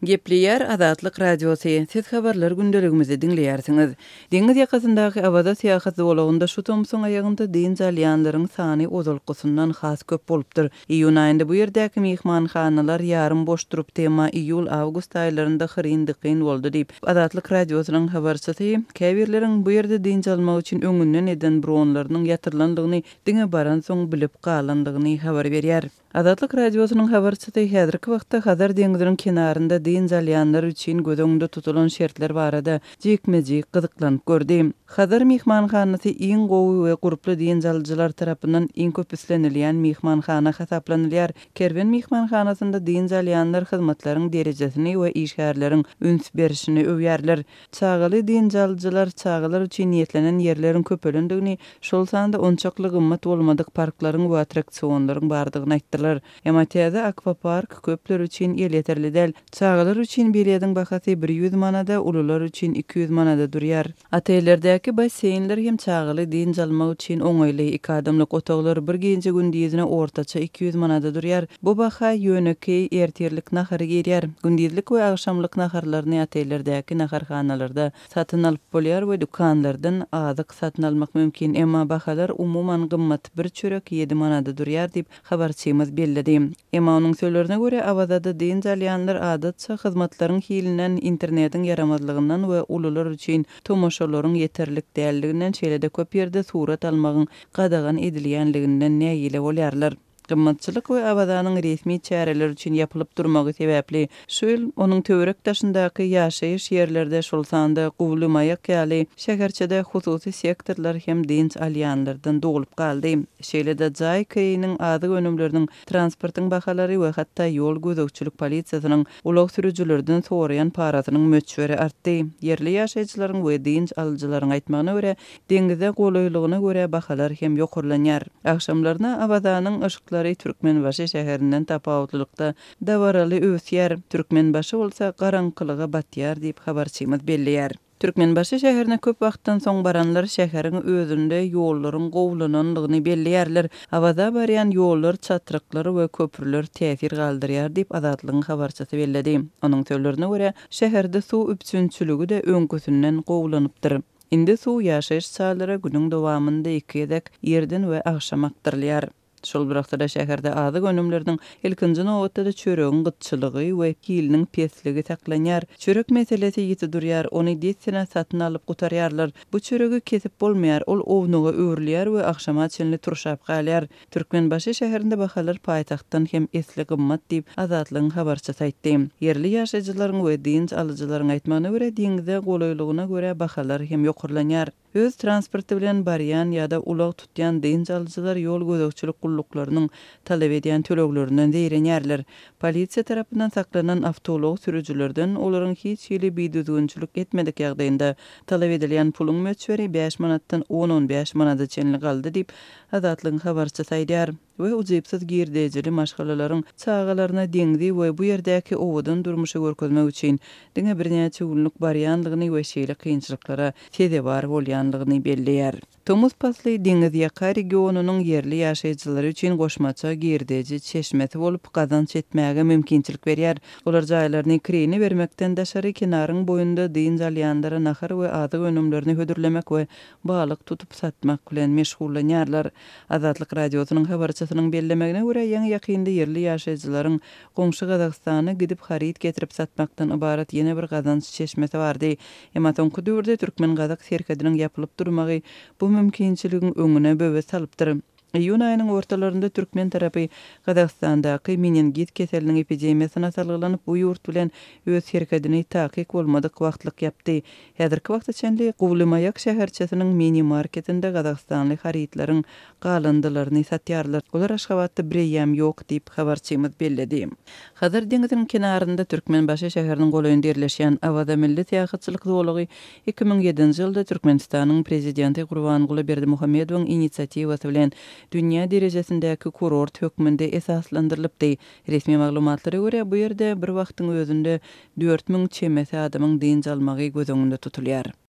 Gepleýär Azatlyk Radiosy, Siz habarlar gündeligimizi diňleýärsiňiz. Deňiz ýakasyndaky Awaza syýahat zolagynda şu tomsuň aýagynda dynç alýanlaryň sany ozalkysyndan has köp bolupdyr. Iýun aýynda bu ýerdäki myhmanhanalar ýarym boş durupdy, emma iýul-awgust aýlarynda hyryn-dykyn boldy diýip, Azatlyk Radiosynyň habarçysy käbirleriň bu ýerde dynç almak üçin öňünden eden bronlarynyň ýatyrylandygyny diňe baransoň bilip galandygyny habar berýär. Azatlyk Radiosynyň habarçysy häzirki wagtda Hazar deňziniň kenarynda dynç alýanlar üçin göz öňünde tutulan şertler barada jikme-jik gyzyklanyp gördi. Hazar myhmanhanasy iň gowy we gurply dynç alyjylar tarapyndan iň köp islenilýän myhmanhana hasaplanylýar. Kerwen myhmanhanasynda dynç alýanlar hyzmatlaryň derejesini we işgärleriň üns berişini öwýärler. Çagaly dynç alyjylar çagalar üçin niýetlenen ýerleriň köpelendigini, şol sanda onçakly gymmat bolmadyk parklaryň we attraksionlaryň bardygyny aýtdylar. Emma täze akwapark köpler üçin elýeterli däl. Çagalar üçin bilediň bahasy 100 manada, ulular üçin 200 manada durýar. Otellerdäki basseýnler hem çagaly dynç almak üçin oňaýly. Iki adamlyk otaglar bir gije-gündizine ortaça 200 manada durýar. Bu baha ýönekeý ertirlik nahary girýär. Gündizlik we agşamlyk naharlaryny otellerdäki naharhanalarda satyn alyp bolýar we dükanlardan azyk satyn almak mümkin. Emma bahalar umuman gymmat, bir çörek ýedi manada durýar diýip, habarçymyz belledi. Emma onuň sözlerine görä, Awazada dynç alýanlar adatça hyzmatlaryň hilinden, internetiň ýaramazlygyndan we ulular üçin tomaşalaryň ýeterlik däldiginden, şeýle-de köp ýerde surat almagyň gadagan edilýänliginden nägile bolýarlar. Gymmatçylyk we Awazanyň resmi çäreler üçin ýapylyp durmagy sebäpli, şu ýyl onuň töwerek-daşyndaky ýaşaýyş ýerlerde, şol sanda Guwly Maýak ýaly şäherçede hususy sektorlar hem dynç alýanlardan dolup galdy. Şeýle-de jaý kireýiniň, azyk önümleriniň, transportyň bahalary we hatda ýol gözegçilik polisiýasynyň ulag sürüjilerden soraýan parasynyň möçberi artdy. Ýerli ýaşaýjylaryň we dynç alyjylaryň aýtmagyna görä, Deňize golaýlygyna görä bahalar hem ýokarlanýar. Agşamlaryna Awazanyň yşyklary Türkmenbaşy şäherinden tapawutlylykda dabaraly öwüsýär, Türkmenbaşy bolsa garaňkylyga batýar diýip, habarçymyz belleýär. Türkmenbaşy şäherine köp wagtdan soň baranlar şäheriň özünde ýollaryň gowulanandygyny belleýärler. Awaza barýan ýollar, çatryklar we köprüler täsir galdyrýar diýip, Azatlygyň habarçysy belledi. Onuň sözlerine görä, şäherde suw üpjünçiligi-de öňküsinden gowulanypdyr. Indi suw ýaşaýyş jaýlara günüň dowamynda iki gezek, irden we agşam akdyrylýar. Şol bir wagtda-da şäherde azyk önümleriniň, ilkinji nobatda-da çöregiň gytçylygy we hiliniň pesligi saklanýar. Çörek meselesi ýiti durýar, ony dessine satyn alyp gutarýarlar. Bu çöregi kesip bolmaýar, ol ownuga öwrülýär we agşama çenli turşap galýar. Türkmenbaşy şäherinde bahalar paýtagtdan hem esli gymmat diýip, Azatlygyň habarçysy aýtdy. Ýerli ýaşaýjylaryň we dynç alyjylaryň aýtmagyna görä, deňze golaýlygyna görä bahalar hem ýokarlanýar. Öz transporty bilen barýan ýa-da ulag tutýan dynç alyjylar ýol gözegçilik gulluklarynyň talap edýän töleglerinden zeýrenýärler. Polisiýa tarapyndan saklanan awtoulag sürüjilerden olaryň hiç hili bidüzgünçilik etmedik ýagdaýynda talap edilýän puluň möçberi bäş manatdan on-on bäş manada çenli galdy diýip, Azatlygyň habarçysy aýdýar we ujypsyz girdejili maşgalalaryň çagalaryna deňzi we bu ýerdäki owadan durmuşy görkezmek üçin diňe birnäçe günlük barýandygyny we şeýle kynçylyklara sezewar bolýandygyny belleýär. Tomus pasly deňizýaka regionynyň ýerli ýaşaýjylary üçin goşmaça girdeji çeşmesi bolup gazanç etmäge mümkinçilik berýär. Olar jaýlaryny kireýine bermekden daşary kenaryň boýunda dynç alýanlara nahar we azyk önümlerini hödürlemek we balyk tutup satmak bilen meşgullanýarlar. Azatlyk Radiosynyň habarçysynyň bellemegine görä, ýaňy-ýakynda ýerli ýaşaýjylaryň goňşy Gazagystana gidip haryt getirip satmakdan ybarat ýene bir gazanç çeşmesi bardy. Emma soňky döwürde türkmen-gazak serhediniň ýapylyp durmagy bu mümkinçiligiň öňüne böwet salypdyr. Iýun aýynyň ortalarynda türkmen tarapy Gazagystandaky meningit keseliniň epidemiýasyna salgylanyp, bu ýurt bilen öz serhedini takyk bolmadyk wagtlyk ýapdy. Häzirki wagta çenli Guwlymaýak şäherçesiniň mini-marketinde gazagystanly harytlaryň galyndylaryny satýarlar. Olar Aşgabatda bireýýäm ýok diýip, habarçymyz belledi. Hazar deňziniň kenarynda Türkmenbaşy şäheriniň golaýynda ýerleşýän Awaza milli syýahatçylyk zolagy 2007-nji ýylda Türkmenistanyň Prezidenti Gurbanguly Berdimuhamedowyň inisiatiwasy bilen dünýä derejesindäki kurort hökmünde esaslandyrylypdy. Resmi maglumatlara görä, bu ýerde bir wagtyň özünde 4000 çemesi adamyň dynç almagy göz öňünde tutulýar.